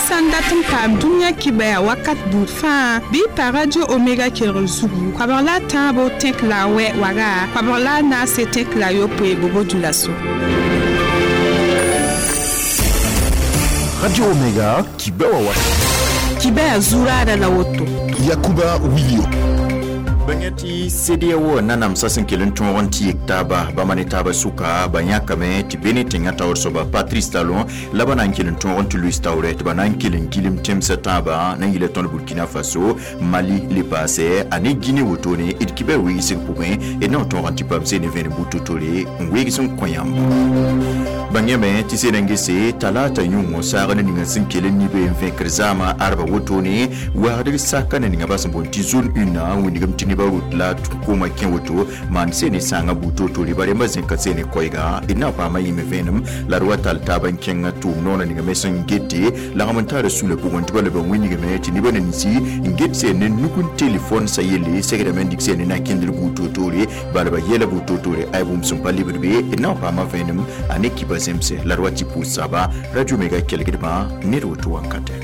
Sã n dat n paam dũniyã kibɛa wakat buud fãa, bɩ y pa Radio Omega kelgr zugu, 13 tẽk la a wɛ waga, 14 tẽk la a yopoe Bobo Dioulasso. Radio Omega, kibɛa wa Kibɛa zuraada la woto. Yakuba Wilio. Bãng tɩ CEDEAO nanamsã sẽn kell n tõog n tɩ yek taaba bãmba ne taabã sʋka, ba yãkame tɩ be ne tẽngã taoor soaba Patrice Talon la ba na n kell n tõog n tɩ Louis Traoré, tɩ ba na n kell n gilem tẽmsã tãabã na n yɩla tõnd Burkina Faso, Mali le paasɛ a ne Guinée wotone. D kibɛ weegsg pʋgẽ, d na n tõog n tɩ paam sene vẽenem bu-totore n weegs n kõ yãmb. Bãng yãme tɩ sed n gese talata yũngõ saagd ninga sẽn kell n nibe n vẽkr zaamã arba wotone, wagdg saka na ninga ba sẽn boond tɩ zone 1 wĩndgame tɩ nebã rot la koomã kẽ woto maan sene sãangã bu-totore ba rẽmbã zẽka sene koɛɛga. D na n paama yĩme vẽenem la d wa tall taab n kẽng tʋʋm noorã ninga me sẽn gete lagm n taara sula pʋgẽ, tɩ ba leb n wĩnigame tɩ nebã ninsi n get seen ne nug n telefon sa yelle segdame n dɩk seen ne na n kẽndr bu-totore bala ba yɛla bu-totore ay bũmb sẽn pa lebd be. D na n paama vẽenem a ne kiba zemse la d wa tɩ pʋʋs saba Radio Mega kelgdbã ned woto wankatɛ.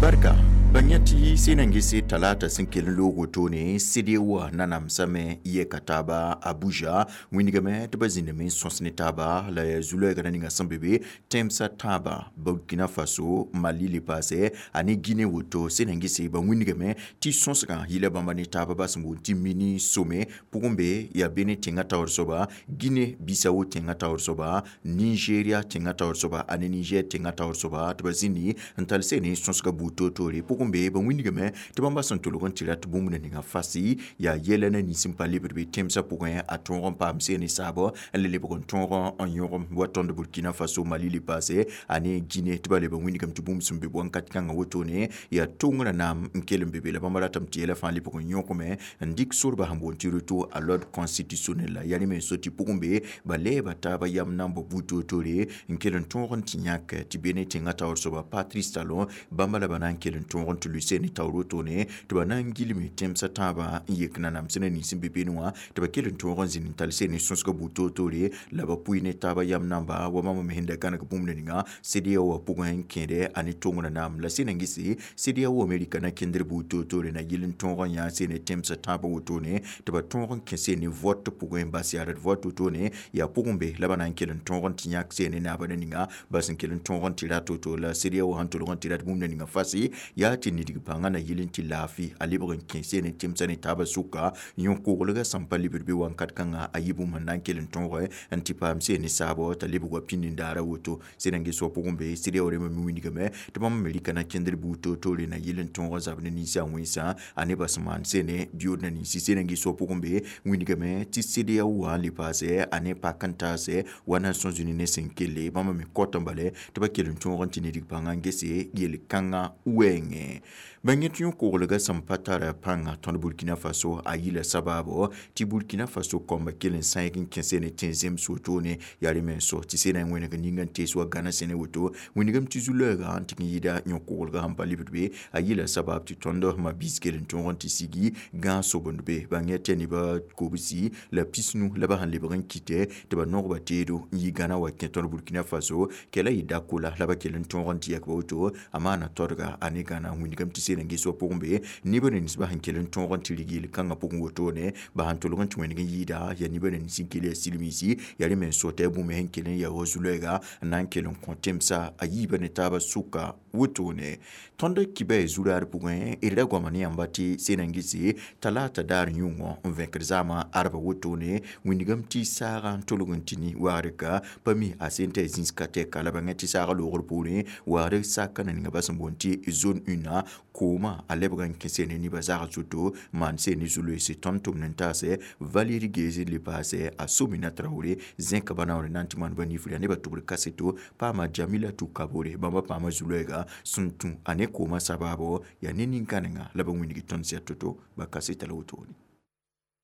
Barka. Bãng tɩ sẽn na n gese talata sẽn kell n loog wotone, CEDEAO nanamsame yɛka taaba Abuja, wĩndgame tɩ ba zĩndame n sõs ne taaba la yaa zu-loɛɛgrã ninga sẽn be be tẽmsã tãabã, Burkina Faso, Mali le paasɛ a ne Guinée woto. Sẽn na n gese ba wĩndgame tɩ sõsgã yɩla bãmba ne taaba ba sẽn boond tɩ mini sommet pʋgẽ be yaa be ne tẽngã taoor soaba, Guinée Bissau tẽngã taoor soaba, Nigeria tẽngã taoor soaba a ne Niger tẽngã taoor soaba, tɩ ba zĩndi n tall sene sõsga buud toor-toore pʋgẽ be ba wĩndgame tɩ bãmba sẽn tʋlg n tɩ rat bũmb na ninga fasi yaa yɛla na nins n pa lebd be tẽmsã pʋgẽ a tõog n paam seen saabɔ n le lebg n tõog n yõgem wa tõnd Burkina Faso, Mali le paase a ne Guinée, tɩ ba leb n wĩndgame tɩ bũmb sẽn be wãnkat kãngã wotone yaa tongrã naam n kell n be be la bãmba ratame tɩ yɛla fãa lebg n yõkame n dɩk sorba sẽn boond tɩ retour à l'ordre constitutionnel la yaa ne me so tɩ pʋgẽ be ba lɛɛba taaba yam na n bao buud toor-toore n kell n tõog n tɩ yãk tɩ be ne tẽngã taoor soaba Patrice Talon bãmba la ba na n kell n tõog n tɩ lui ne taoor wotone, tɩ ba na n gilme tẽmsã tãabã n yek nanams na nins n be beene wã, tɩ ba kell n tõog n zĩnd n tall sene sõsga buud toor-toore la ba pʋɩ ne taaba yam namba wa bãmb me sẽn da gãneg bũmb na ninga CEDEAO wã pʋgẽ n kẽede a ne tongrã naam. La sẽn na n gese CEDEAO Amerika na kẽndr buud toor-toore na yɩl n tõog n yã sene tẽmsã tãabã wotone, tɩ ba tõog n kẽ sene vote pʋgẽ n bas yaard vote wotone yaa pʋgẽ be la ba na n kell n tõog n tɩ yãk sene naaba na ninga ba sẽn kell n tõog n tɩ rat woto. La CEDEAO sẽn tʋlg n tɩ rat bũmb na ninga fasi yaa tɩ nidg pãngã na yɩl n tɩ laafɩ a lebg n kẽ sene tẽmsã ne taabã sʋka yõ-koglgã sẽn pa lebd be wãnkat kãngã a yɩ bũmb sẽn na n kell n tõog n tɩ paam sene saabɔ t'a lebg wa pĩnd n daara woto. Sẽn na n ges wa pʋgẽ be CEDEAO rẽmbã me wĩndgame tɩ bãmb me rɩka na kẽndr buud toor-toore na yɩl n tõog zab ne ninsã wẽnsã a ne bas maan sene biyood na ninsi. Sẽn na n ges wa pʋgẽ be wĩndgame tɩ CEDEAO wã n le paasɛ a ne pak n taasɛ wa Nations Unies ne sẽn kelle bãmb me kõt n bale tɩ ba kell n tõog n tɩ nidg pãngã n gese yel-kãngã wɛɛngẽ. Bãng tɩ yõ-koglgã sẽn pa tara pãnga tõnd Burkina Faso a yɩla sabaabo tɩ Burkina Faso kõmba kell n sãeeg n kẽ sene tẽ zems wotone yaa rẽ me n so tɩ sena n wẽneg ninga n tees wa Gana sẽne woto, wĩndgame tɩ zu-loɛɛgã n tɩg n yɩɩda yõ-koglgã sẽn pa lebd be a yɩla sabab tɩ tõnd ma-biis kell n tõog n tɩ sigi gãag sobend be. Bãng tɩ nebã kobsi la pisnu la ba sẽn lebg n kɩtɛ tɩ ba nogba teedo n yi Gana wa kẽ tõnd Burkina Faso kɛla yɩ dakola la ba kell n tõog n tɩ yak ba woto a maana todga a ne Gana. Wĩndgame tɩ sena n ges wa pʋgẽ be nebã ninsbã sẽn kell n tõog n tɩ rig yel-kãngã pʋgẽ wotone ba sẽn tʋlg n tɩ wẽneg n yɩɩda yaa nebã nins n kell yaa silmiisi yaa rẽ me n so tɩ a bũmb sẽn kell n yaa wa zu-loɛɛga n na n kell n kõ tẽmsã a yiibã ne taabã sʋka wotone. Tõnd kibɛ zuraar pʋgẽ d ra goama ne yãmba tɩ sẽn na n gese talata daar yũngõ n vẽkd zaamã arba wotone, wĩndgame tɩ saagã n tʋlg n tɩ ne wagr ka pa mi a sẽn t'a zĩis ka tɛka la bãngã tɩ saagã loogr poorẽ wagr saka na ninga ba sẽn boond tɩ zone 1 koomã a lebg n kẽ sene nebã zag zuto maan sene zu-loeese tõnd tʋmd n taasɛ Valérie Geze le paasɛ a Somina Traoré zẽka ba naoor n na n tɩ maan ba nifra nebã tʋbr kaseto paama Jamila Tukabore bãmba paama zu-loɛɛga sẽn tũ a ne koomã sabaabo yaa ne nin-kãnenga la ba wĩndg tõnd sɛ to-to ba kaseta la wotone.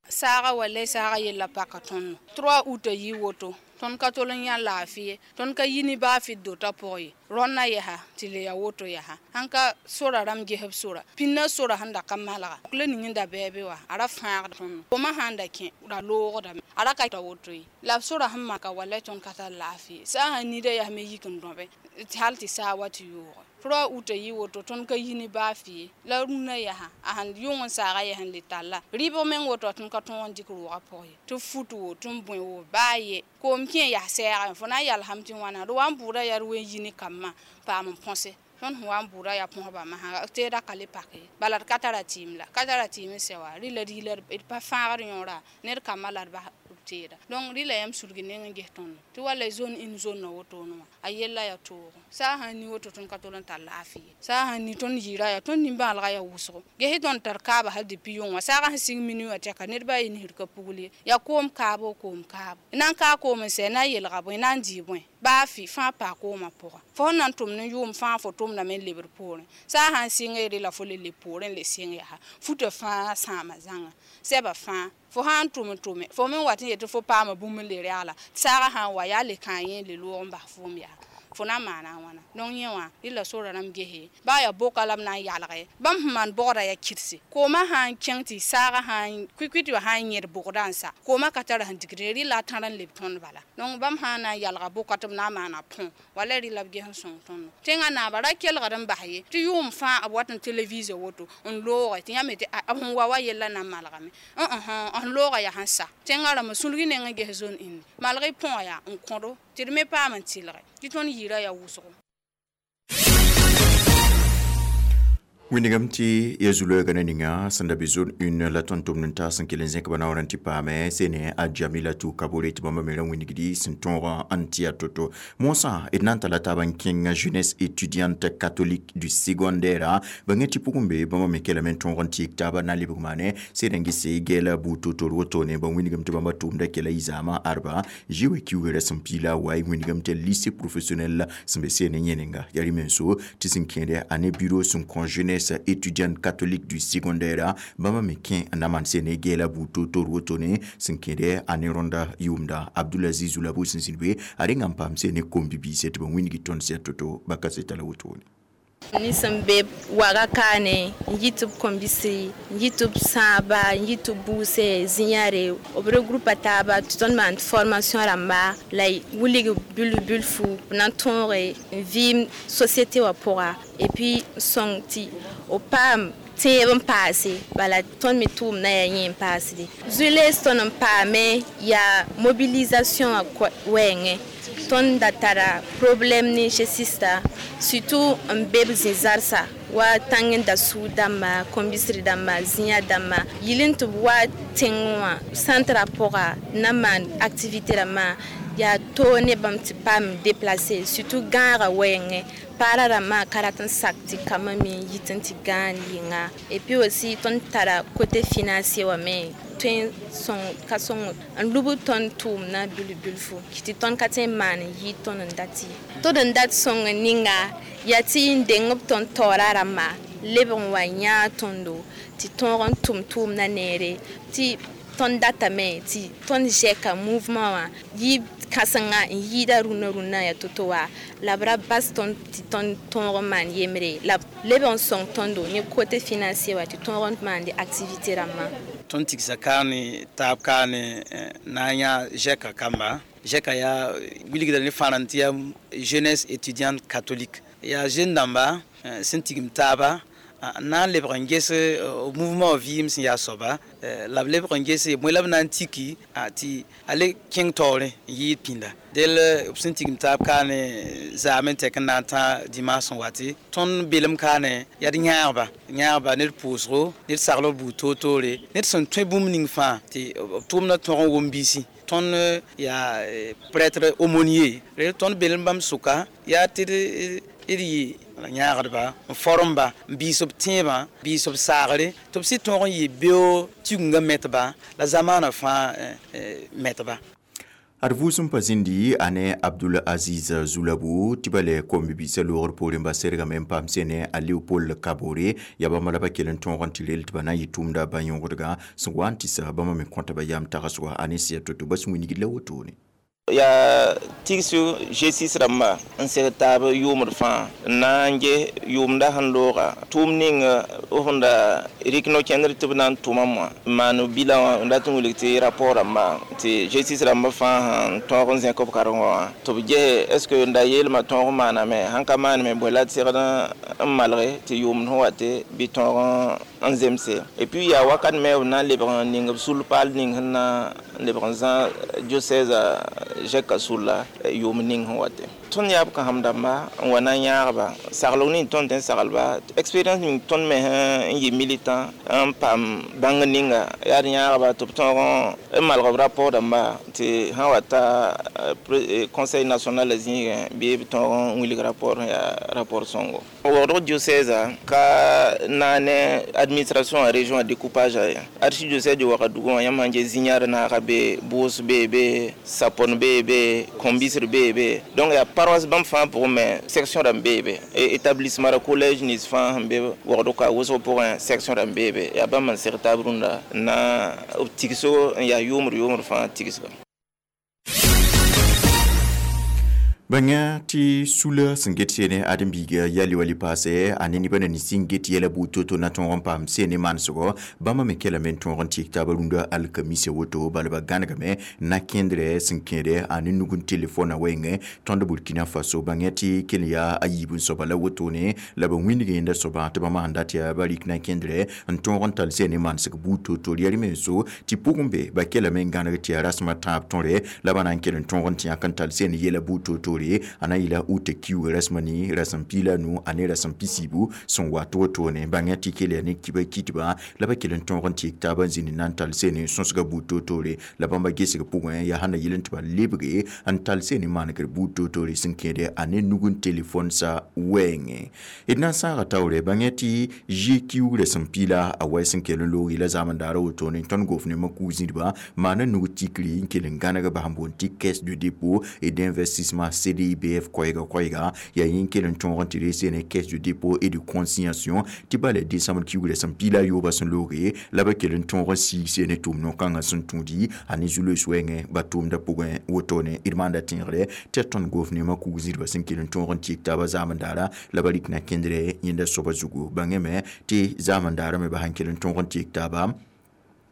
Saaga wallay saaga yella paka tõnd 3 août yi woto tõnd ka tol n yã laafɩ ye, tõnd ka yi ne baafɩ dotã pʋgẽ ye. Rõnna yaa tɩ le ya woto yaa sãn ka sora rãmb gesb sora pĩnna sora sẽn da ka malga la ning n da bɛɛbe wa a ra fãagd tõndo koomã sãn da kẽ ra loogdame a ra ka ta woto ye la b sora sẽn maka wallay tõnd ka tar laafɩ saa sãn nida yaa me yik n dõbe hal tɩ saa wa tɩ yooge tɩ uta yɩ woto tõnd ka yi ne baa fɩ ye la rũnã yaa a sãn yʋng n saaga yaa sẽn le talla rɩɩbg meng woto tõnd ka tõog n dɩk roogã pʋg ye tɩ fut wo tɩ n bõe wo baa ye koom kẽ yaa sɛɛgã fo na n yalsame tɩ wãna d wa n bʋʋda yaa d wen yi ne kambã paam n põse tõnd sẽn wa n bʋʋda yaa põsba masã teedã ka le pak ye bala d ka tara tɩɩm la ka tara tɩɩm n sɛ wa rɩla rɩɩla d pa fãagd yõora ned kambã la d bas teeda donc rɩla yãmb sulgi neng n ges tõndo tɩ walla zone n zonna wotone wã a yella yaa toogo saa sãn ni woto tõnd ka tol n tar laafɩ ye saa sãn ni tõnd yɩɩra yaa tõnd nimbãalga yaa wʋsgo ges tõnd tar kaaba hal depuis yʋng wã saagã sẽn sɩng minu wã tɛka ned baa ye nisd ka pugl ye yaa koom kaabo koom kaabo na n kaa koom n sɛ na n yelga bõe na n dɩ bõe baa fɩ fãa paa koomã pʋga fo sẽn na n tʋmd n yʋʋm fãa fo tʋmdame n lebd poorẽ saa sãn sɩnge rela fo le leb poorẽ n le sɩng yaa futã fãa sãama zãnga sɛba fãa fo sãn tʋm n tʋme fo me wat n yetɩ fo paama bũmb n le reagla saagã sãn wa yaa le kãa yẽ le loog n bas foom yaa fo na n maana a wãna donc yẽ wã rɩla sora rãmb gese baa yaa boka la b na n yalge bãmb sẽn maan bogda yaa kɩdse koomã sãn kẽng tɩ saagã sãn kʋɩ-kʋɩ tɩ sãn yẽd bogdã n sa koomã ka tara sẽn digd ye rɩla a tãr n leb tõnd bala donc bãmb sãn na n yalga boka tɩ b na n maana põ wala rɩla b ges n sõng tõndo tẽngã naaba ra kelgd n bas ye tɩ yʋʋm fãa b wat n televisa woto n looge tɩ yãmb tɩ b sẽn wa wa yella na n malgame n looga yaa sẽn sa tẽngã rãmbã sulgi neng n ges zone ĩndi malg y põga yaa n kõdo tɩ d me paam n tɩlge tɩ tõnd yɩɩra yaa wʋsgo. Wĩndigame tɩ ya zu-loɛɛgã na ninga sẽn da be zone 1 la tõnd tʋmd n taas n kell n zẽk ba naoor n tɩ paame sene a Jamilatu Kabore tɩ bãmba me ra wĩnigdi sẽn tõog n tɩ ya to-to moosã d na n tala taab n kẽng jeunesse étudiante catholique du secondaire bãnge tɩ pʋgẽ be bãmba me kelame n tõog n tɩɩg taaba na n lebg maane sed n gese gɛɛla buud to-to wotone ba wĩnigame tɩ bãmba tʋʋmda kɛla yɩ zaamã arba zoe kiugrã sẽn piila wa y wĩnigame tɩ lycée professionnel sẽn be seen n yẽnenga yaa rɩ-menso tɩ sẽn kẽede a ne bureau sẽn kõ jeunesse étudiante catholique du secondaire bãmba me kẽ n na maan sene gɛɛla buud to-to wotone sẽn kẽede a ne rõnda yʋʋmda Abdulaziz Zulabo sẽn zĩnd be a rẽnga n paam sene kom-bibiisẽ tɩ ba wĩnigi tõnd sɛ to-to ba kaseta la wotone. Ni sẽn be waga kaane n yɩ tɩ b kõmbisi n yɩ tɩ b sãaba n yɩ tɩ b buuse zĩ-yãre b regroupa taaba tɩ tõnd maan formation rãmba la wilg bil bilfu b na n tõoge n vɩɩm société wã pʋga et puis sõng tɩ b paam tẽeb n paase bala tõnd me tʋʋmdã yaa yẽ n paasde zulees tõnd n paame yaa mobilisation wã wɛɛngẽ tõnd da tara problème ne sista surtout n be b zĩ-zarsã wa tãng n da sũur dãmba kõmbisr dãmba zĩ-yã dãmba yɩl n tɩ b wa tẽngẽ wã centrã pʋga na n maan activité rãmbã yaa toog ne bãmb tɩ paam déplacer surtout gãagã wɛɛngẽ paara rãmbã ka rat n sak tɩ kambã me n yit n tɩ gãag yɩnga et puis aussi tõnd tara côté financier wã me tõe n sõng ka sõng n lub tõnd tʋʋmdã bil bilfu tɩ tõnd ka tõe n maan n yɩ tõnd n dat ye tõd n dat sõng n ninga yaa tɩ n deng b tõnd taoora rãmba leb n wa yãag tõndo tɩ tõog n tʋm tʋʋmdã neere tɩ tõnd datame tɩ tõnd zɛka mouvement wã yɩ kãsenga n yɩɩda rũnã rũnã yaa to-to wa la b ra bas tõnd tɩ tõnd tõog n maan yembre la b leb n sõng tõndo ne côté financier wã tɩ tõog n maande activité rãmbã. Tõnd tigsa kaane taab kaane na n yã zɛka kamba zɛka yaa wilgda ne fãa tɩ yaa jeunesse étudiante catholique yaa jeune dãmba sẽn tigim taaba n na n lebg n ges mouvement vɩɩm sẽn yaa soaba la b lebg n gese bõe la b na n tiki tɩ a le kẽng taoore n yɩɩd pĩnda del b sẽn tigim taab kaane zaam n tɛk n na n tã dimanche sẽn wate tõnd belem kaane yaa d yãagba yãagba ned pʋʋsgo ned saglg buud toor-toore ned sẽn tõe bũmb ning fãa tɩ b tʋʋmdã tõg n wʋm biisi tõnd yaa prêtre aumônier tõnd belem bãmb sʋka yaa tɩ d yɩ yãagdba n formba n biis b tẽebã biis b saagre tɩ b sɩ tõog n yɩ beoog tigungã metba la zamaanã fãa metba. Ad vʋʋsem pa zĩndi a ne Abdul Aziz Zulabu tɩ ba le kom-bibiisã loogr poorẽ ba sergame n paam sene a Leopold Kabore yaa bãmba la ba kell n tõog n tɩ rel tɩ ba na n yɩ tʋʋmda bã-yõgdgã sẽn wa n tɩ sa bãmba me kõta ba yam tagsga a ne sɩya to-to ba sẽn wingd la wotone. Yaa tigsu G6 rãmba n seg taab yʋʋmd fãa n na n ges yʋʋmda sẽn looga tʋʋm ning b sẽn da rɩk no-kẽndr tɩ b na n tʋma wã n maan bilã wã n dat n wilg tɩ rapport rãmba tɩ G6 rãmba fãa sẽn tõog n zẽk b karengã wã tɩ b gese est ce que n da yeelmã tõog n maaname sãn ka maaname bõe la d segd n malge tɩ yʋʋmd sẽn wa tɩ bɩ tõog n zemse. Et puis yaa wakat me b na n lebg n ning b sul paal ning sẽn na n lebg n zã diocèse zɛka sulla yʋʋm ning sẽn wa tɩ tõnd yaa b kãsem dãmba n wa na n yãagba saglg ning tõnd tɩ n saglba expérience ning tõnd me n yɩ militant n paam bãng ninga yaa d yãagba tɩ b tõog n malg b rapport dãmba tɩ sã wa ta conseil national zĩigẽ bɩ b tõog n wilg rapport sẽn yaa rapport sõngo. Wogdg diocèse ka na ne administration a région a découpage a ye archidiocèse Wagadugu wã yãmb sãn ges zĩ-yãad naaga be bʋʋs bee be sapon bee be kõm-bisd bee be donc yaa paroisse bãmb fãa pʋgẽ me section rãmb bee be établissement ra collège nins fãa sẽn be wogd ka wʋsg pʋgẽ section rãmb bee be yaa bãmb n seg taab rũndã n na b tigsgo n yaa yʋʋmd fãa tigsga. Bãnga tɩ sula sẽn get seene ãdem-biiga yaa le paase a ne nebã na nins n get yɛla buud to-to na tõog n paam seene manesgɔ bãmba me kelame n tõog n tɩk taaba rũndã alkamisa woto bala ba gãnegame na kẽndrɛ sẽn kẽede a ne nug n telefona wɛɛngẽ tõnd Burkina Faso bãnga tɩ kell yaa a yiib n soaba la wotone la ba wĩndg yẽnda soabã tɩ bãmba sẽn dat yaa ba rɩk na kẽndrɛ n tõog n tall seene manesg buud to-to yaa rẽ-menso tɩ pʋgẽ be ba kelame n gãneg tɩ yaa rasem a tãab tõre la ba na n kell n tõog n tɩ yãk n tall seene yɛla buud to-to a na yɩla uta kiuga rasma ne rasem piila nu ane rasem pisiibu sẽn wa tɩ wotone bãnga tɩ kell yaa ne kiba kitba la ba kell n tõog n tɩk taabã n zĩnd na n tall seene sõsga buud toor-toore la bãmba gesg pʋgẽ yaa sẽn na yɩl n tɩ ba lebge n tall seene manegr buud toor-toore sẽn kẽede a ne nug n telefon sa wɛɛngẽ d na n sãaga taoore bãnga tɩ zi kiug rasem piila a wɛ sẽn kell n loog yɩla zaamend daara wotone tõnd gofnemã kug zĩdba maana nug tikri n kell n gãneg bas n boond tɩ caisse de dépôt et d'investissement CDIBF koɛɛga yaa yẽ kell n tõog n tɩ rees ne caisse de dépôt et de consignation tɩ bala décembre kiugrã sẽn piila yooba sẽn looge la ba kell n tõog n siig seene tʋʋm no-kãngã sẽn tũudi a ne zu-loees wɛɛngẽ ba tʋʋmdã pʋgẽ wotone d maanda tẽegre tɩ tõnd gofnemã kug zĩdbã sẽn kell n tõog n tɩk taabã zaamend daara la ba rɩk na kẽndrɛ yẽnda soaba zugu bãngame tɩ zaamend daara me ba sãn kell n tõog n tɩk taaba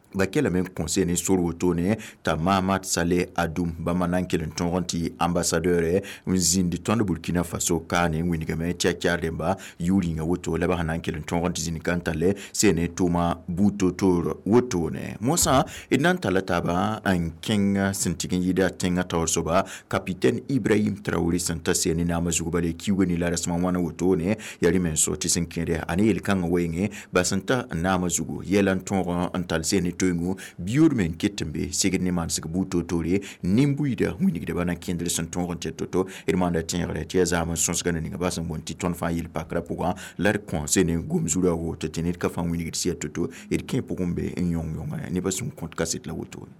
ba kelame n kõ seene sor wotone t'a Mahamad Saleh Adoum bãmba na n kell n tõog n tɩ ambassadeur n zĩnd tõnd Burkina Faso kaane n wingame tɩ a kyar rẽmba yʋʋr yĩnga woto la ba sẽn na n kell n tõog n tɩ zĩnd ka n talle seene tʋʋma buud to-toor wotone mosã d na n talla taaba n kẽng sẽn tɩg n yɩɩda tẽngã taoor soaba capitaine Ibrahim Traoré sẽn ta seene naamã zug bale kiuga ne la rasmã wãna wotone yaa rẽ menso tɩ sẽn kẽede a ne yel-kãngã wɛɛngẽ ba sẽn ta naamã zugu yɛla n tõog n tall seene toengu biyood me n ket n be segd ne manesg buud toor-toore nin-buiida wĩnigdbã na kẽndr sẽn tõog n tɩ to-to d maanda tẽegre tɩ yaa zaam n sõsga na ninga ba sẽn boond tɩ tõnd fãa yel-pakrã pʋgã la d kõ sene gom zuraoogo tɩ tɩ ned ka fãa wĩnigd sɩya to-to d kẽ pʋgẽ be n yõng-yõnga nebã sẽn kõt kaset la wotone.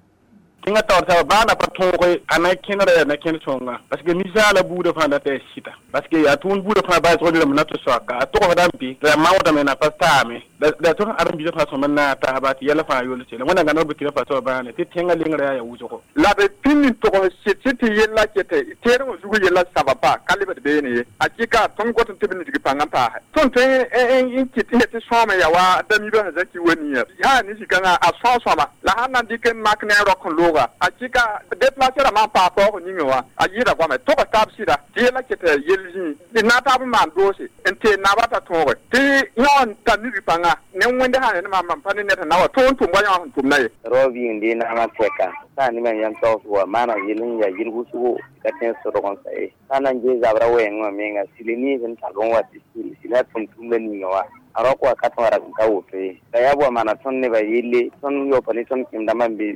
Tẽngã taoor soaba baa na pa tõoge a na kẽnera yaa na kẽnd sõnga parce que ninsaala buudã fãa dat yaa sɩda parce que yaa tʋʋm buudã fãa baasg rãmb na tɩ soaka a togsdã n be la maoodame na pa taame la tõnd ãdem-biisã fãa sõma n na a taasba tɩ yɛla fãa yol sela wẽnnaam gãneg Burkina Faso bãane tɩ tẽngã lengrã yaa ya wʋsgo la b pĩnd n togs sɩd tɩ yella kete teerẽ zug yella saba pa ka lebd beene ye a kɩka tõnd got n tɩ b nidg pãngã n paase tõnd tõe n kɩt tɩ sõame ya wa damiibã sẽn zaki wa nia yaa ne zĩ-kãngã a sõa sõama la sãn na n dɩk n mak ne a rok n looga a kɩka déplacer rã maan paa paoog ninge wã a yɩɩda goame togs taab sɩda tɩ yella ket yell zĩig d na taab n maan doose n tee naabã t'a tõoge tɩ yõ n tar nidg pãnga ne wẽnde sã ne maam pa ne ned sẽn na wa tõog n tʋm wa yõ sẽn tʋmda ye rao bɩ n dee naamã tɛka sã n ne mam yãmb taoos wa maana yel n yaa yel wʋsgo ka tẽn sodg n sa ye sã n na n gee zabrã wɛɛngẽ wã menga sɩl nins n tag n wa tɩ sɩl sɩla tʋm-tʋmda ninga wa a rok wa ka tõa rag n ka woto ye la yaa bʋa maana tõnd nebã yelle tõnd yaopa ne tõnd kẽem-dãmbã n be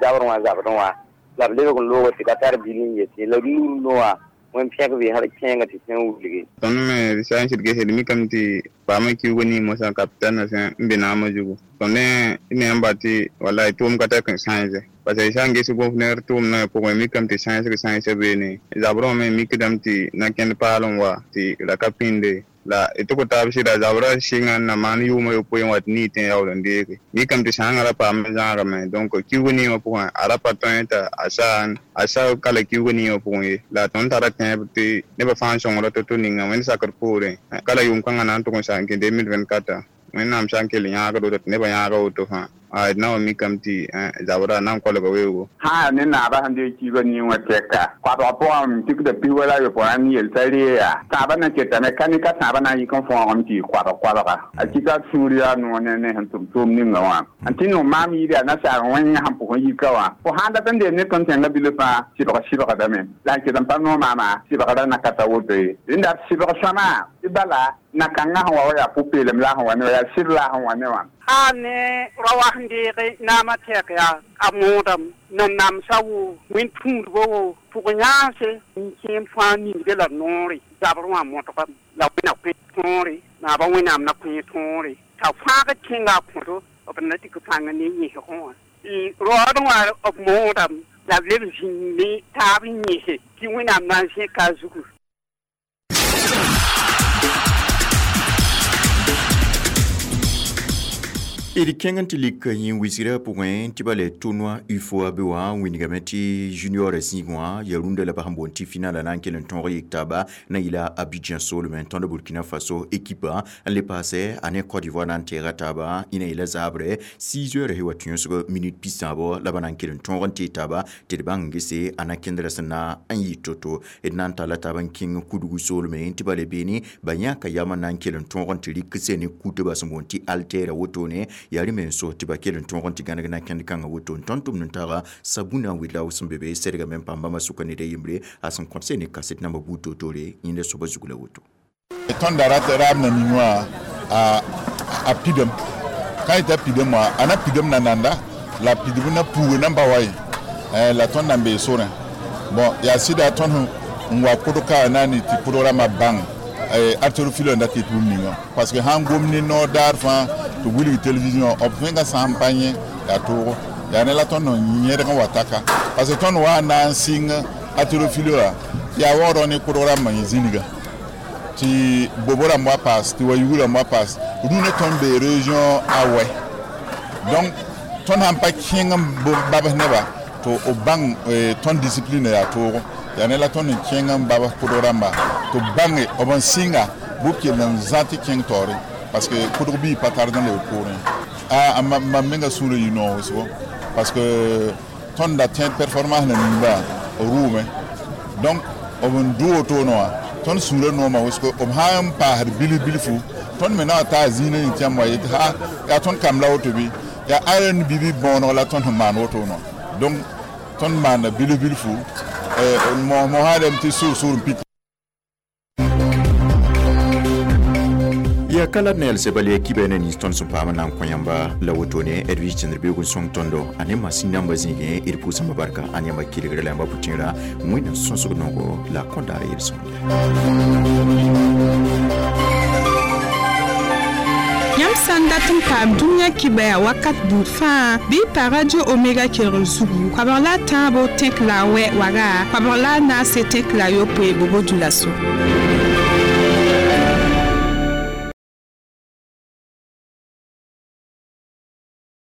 zabrẽ wã zabrẽ wã la b lebg n looga tɩ ka tar bil n yetɩ la nur noa wẽn pẽk be hal kẽenga tɩ sẽn wilge tõnd me d sã n sɩd gesd mikame tɩ paamã kiuga ning mosã kapitãnã sẽn n be naamã zugu tõnd me n ba tɩ wallahi tʋʋm ka tar n sãense parce que sã n ges gofner tʋʋmdã pʋgẽ mikame tɩ sãensg sãensa beene zabrã wã me mikdame tɩ na kẽnd paal n wa tɩ ra ka pĩnde. La tɩ kõ taab sɩda zabra sɩnga n na maan yʋʋmã yopoe n wa tɩ nii tẽ yaool n deege mikame tɩ sãangã ra paam zãagame. Donc kiuug niingã pʋgẽ a ra pa tõe t'a a sa ka la kiuug niingã pʋgẽ ye. La tõnd tara tẽeb tɩ nebã fãa n sõngra to-to ninga wẽnd sakr poorẽ ka la yʋʋm kãngã na n tʋg n sa n kẽ 2024 wẽnnaam sã n kell yãagd woto tɩ nebã yãaga woto fãa d na wa mikame tɩ zabra na n kolga weoogo. Sã ne naabã sẽn dee kiiba ning wã tɛka koabg pʋgã tikda pis wala yopoe n yel t'a ree yaa tãabã na ketame ka ne ka tãabã na n yik n fõogame tɩ yɩ koabg koabga a kɩka sũur yaa noor ne sẽn tʋm tʋʋm ninga wã n tɩ no maam yɩɩd yaa nasaar wẽng sẽn pʋgẽ yika wã fo sãn dat n deem ne tõnd tẽngã bilf fãa sɩbg sɩbgdame la n ket n pa noor maama sɩbgra na ka ta woto ye. Rẽnda b sɩbg sõama tɩ bala na-kãngã sẽn wa wa yaa pʋ-peelem la sẽn wa ne wã yaa sɩd la sẽn wa ne wã. A ne ra wa sẽn deege naamã tɛk yaa a moodame nan namsa wo wẽn tũudbã wo pʋg yãase n kẽem fãa ningde la noore zabr wã mõtgame la wẽna kõ tõore naabã wẽnnaam na kõ tõore t'a fãag kẽnga a kõto b na dɩk pãng ne yẽsgẽ wã raood wã b moodame la b leb zĩng ne taab n yẽse tɩ wẽnnaam na n zẽka a zugu. D kẽng n tɩ lik yĩn wisgrã pʋgẽ tɩ ba le tournoi UFOA be wã wĩnigame tɩ junior zĩig wã yaa rũndã la b sẽn boond tɩ finala na n kell n tõog yik taaba na yɩla Abidjan soolmẽ tõnd Burkina Faso ekipa n le paasɛ a ne Côte d'Ivoire na n teega taaba ĩna yɩla zaabrɛ 6 heures sẽn wa tũusg minute pisaabo la ba na n kell n tõog n tee taaba tɩ d bãng gese a na kẽndrã sẽn na n yɩ to-to. D na n talla taab n kẽng kudgu soolmẽ tɩ ba le beene ba yãka yam n na n kell n tõog n tɩ rɩk sẽn ne kutbã sẽn boond tɩ altɛɛra wotone yaa rẽ me n so tɩ ba kell n tõog n tɩ gãneg na kẽnd kãngã woto n tõnd tʋmd n taga sabuna n wɩla sẽn be be sɛdgame n paam bãmba sʋka ned a yembre a sẽn kõt ne kaset namba buud toor-toore yẽnda soaba zug la woto. Tõnd da rat raab na ning wã a pidem ka yeta pidem wã a na pidem na nanda la pidb na puuge nan ba wa ye la tõnd na n bee sorẽ. Bon yaa sɩda tõnd n wa kʋdg ka na n tɩ kʋdg rãmbã bãng artero filo n dat yet bũmb ninga parce que sãn gom ne noor daar fãa tɩ wilg télévision b fẽnga sã n pa yẽ yaa toogo yaa ne la tõnd n yẽdg n wa taka parce que tõnd wa n na n sɩng artero filo wã yaa waoodg ne kʋdg rãmbã yẽ zĩniga tɩ bobo rãmb wa paas tɩ wa yug rãmb wa paas rũnã tõnd bee région a wɛ. Donc tõnd sãn pa kẽng n babs neba tɩ b bãng tõnd discipline yaa toogo yaa ne la tõnd n kẽng n babs kʋdg rãmba tɩ b bãnge b n sɩnga bʋ kell n zã tɩ kẽng taoore parce que kʋdg bii pa tard n leb poorẽ. A mam menga sũurã yɩ noog wʋsgo parce que tõnd da tẽ performance na nimba rʋʋme. Donc b n dʋ wotone wã tõnd sũurã noomã wʋsgo b sã n paasd bilf bilfu tõnd me na wa taa zĩinã yẽ tɩ yãmb wa yetɩ ha yaa tõnd kamb la woto bɩ yaa aren bibi bõoneg la tõnd sẽn maan wotone wã. Donc tõnd maanda bilf bilfu mosã rem tɩ sʋʋr-sʋʋr n pik. Ya kala na yɛlsɛ bal ya kiba na nins tõnd sẽn paam n na n kõ yãmba la wotone Edwige tẽndr beoog n sõng tõndo a ne masin namba zĩigẽ d pʋʋsãmba barka a ne yãmba kelgrã la yãmba pʋtẽera wẽnnaam sõsg noogo la kõn daara yel-sõmde. Yãmb sã n dat n paam dũniyã kibã yaa wakat buud fãa bɩ y pa radio Omega kelgr zugu koabg la a tãabo tẽk la a wɛ waga koabg la a naase tẽk la a yopoe bobo dũla so.